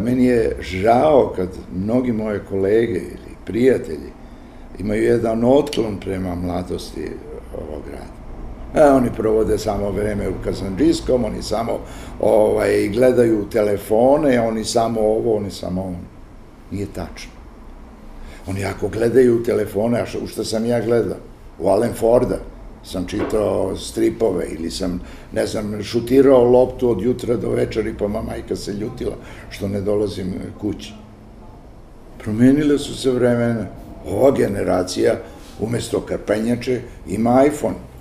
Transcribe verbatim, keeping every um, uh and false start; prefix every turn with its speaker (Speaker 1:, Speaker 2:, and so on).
Speaker 1: Meni je žao kad mnogi moje kolege ili prijatelji imaju jedan otklon prema mladosti ovog grada. E, oni provode samo vreme u kazandžijskom, oni samo ovaj, gledaju telefone, oni samo ovo, oni samo ono. Nije tačno. Oni ako gledaju telefone, a u što sam ja gledao? U Alan Forda sam čitao stripove ili sam, ne znam, šutirao loptu od jutra do večeri, pa majka se ljutila što ne dolazim kući. Promenile su se vremena. Ova generacija umesto karpenjače ima iPhone.